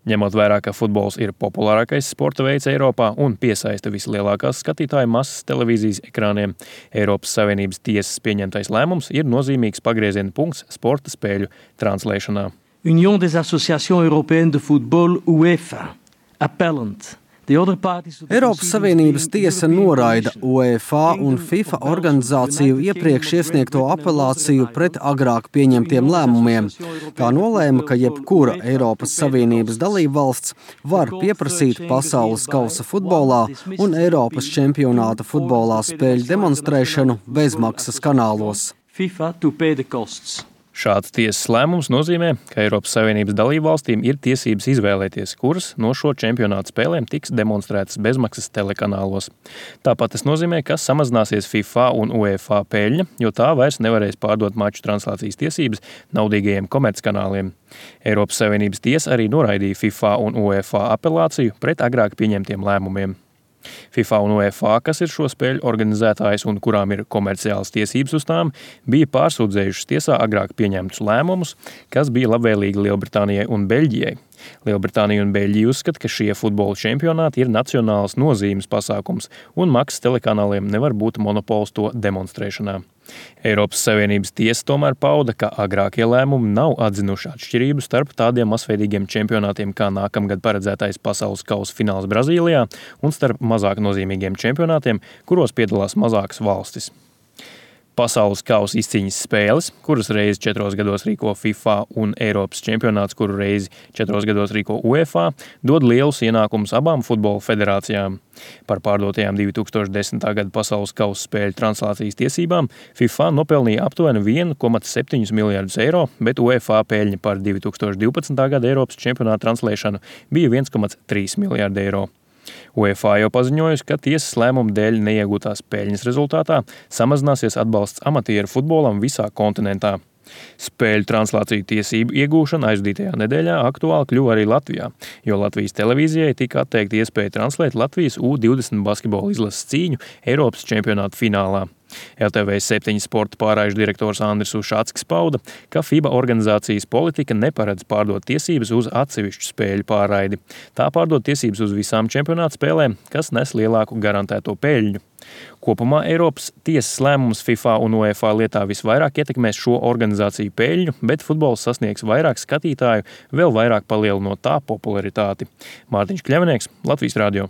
Ņemot vērā, ka futbols ir populārākais sporta veids Eiropā un piesaista vislielākās skatītāju masas televīzijas ekrāniem, Eiropas Savienības tiesas pieņemtais lēmums ir nozīmīgs pagrieziena punkts sporta spēļu translēšanā. Union des Associations Européennes de Football, UEFA, appellant. Eiropas Savienības tiesa noraida UEFA un FIFA organizāciju iepriekš iesniegto apelāciju pret agrāk pieņemtiem lēmumiem. Tā nolēma, ka jebkura Eiropas Savienības dalībvalsts var pieprasīt pasaules kausa futbolā un Eiropas čempionāta futbolā spēļu demonstrēšanu bezmaksas kanālos. FIFA to pay the costs. Šāds tiesas lēmums nozīmē, ka Eiropas Savienības dalībvalstīm ir tiesības izvēlēties, kuras no šo čempionātu spēlēm tiks demonstrētas bezmaksas telekanālos. Tāpat tas nozīmē, ka samazināsies FIFA un UEFA peļņa, jo tā vairs nevarēs pārdot maču translācijas tiesības naudīgajiem komerckanāliem. Eiropas Savienības tiesa arī noraidīja FIFA un UEFA apelāciju pret agrāk pieņemtiem lēmumiem. FIFA un UEFA, kas ir šo spēļu organizētājs un kurām ir komerciālas tiesības uz tām, bija pārsūdzējušas tiesā agrāk pieņemtus lēmumus, kas bija labvēlīgi Lielbritānijai un Beļģijai. Lielbritānija un Beļģija uzskata, ka šie futbola čempionāti ir nacionālas nozīmes pasākums un maksas telekanāliem nevar būt monopols to demonstrēšanā. Eiropas Savienības tiesa tomēr pauda, ka agrākie lēmumi nav atzinuši atšķirību starp tādiem masveidīgiem čempionātiem kā nākamgad paredzētais pasaules kausa fināls Brazīlijā un starp mazāk nozīmīgiem čempionātiem, kuros piedalās mazākas valstis. Pasaules kausa izcīņas spēles, kuras reizi 4 gados rīko FIFA un Eiropas čempionāts, kuru reizi 4 gados rīko UEFA, dod lielus ienākumus abām futbola federācijām. Par pārdotajām 2010. gada pasaules kausa spēļu translācijas tiesībām FIFA nopelnīja aptuveni 1,7 miljardus eiro, bet UEFA peļņa par 2012. gada Eiropas čempionāta translēšanu bija 1,3 miljardi eiro. UEFA jau paziņojusi, ka tiesas lēmuma dēļ neiegūtās peļņas rezultātā samazināsies atbalsts amatieru futbolam visā kontinentā. Spēļu translāciju tiesību iegūšana aizdītajā nedēļā aktuāli kļuva arī Latvijā, jo Latvijas televīzijai tika atteikta iespēja translēt Latvijas U20 basketbola izlases cīņu Eiropas čempionāta finālā. LTV7 sporta pārraižu direktors Andris Ušatskis pauda, ka FIBA organizācijas politika neparedz pārdot tiesības uz atsevišķu spēļu pārraidi. Tā pārdod tiesības uz visām čempionāta spēlēm, kas nes lielāku garantēto peļņu. Kopumā Eiropas tiesas lēmums FIFA un UEFA lietā visvairāk ietekmēs šo organizāciju peļņu, bet futbols sasniegs vairāk skatītāju, vēl vairāk palielinot tā popularitāti. Mārtiņš Kļavinieks, Latvijas radio.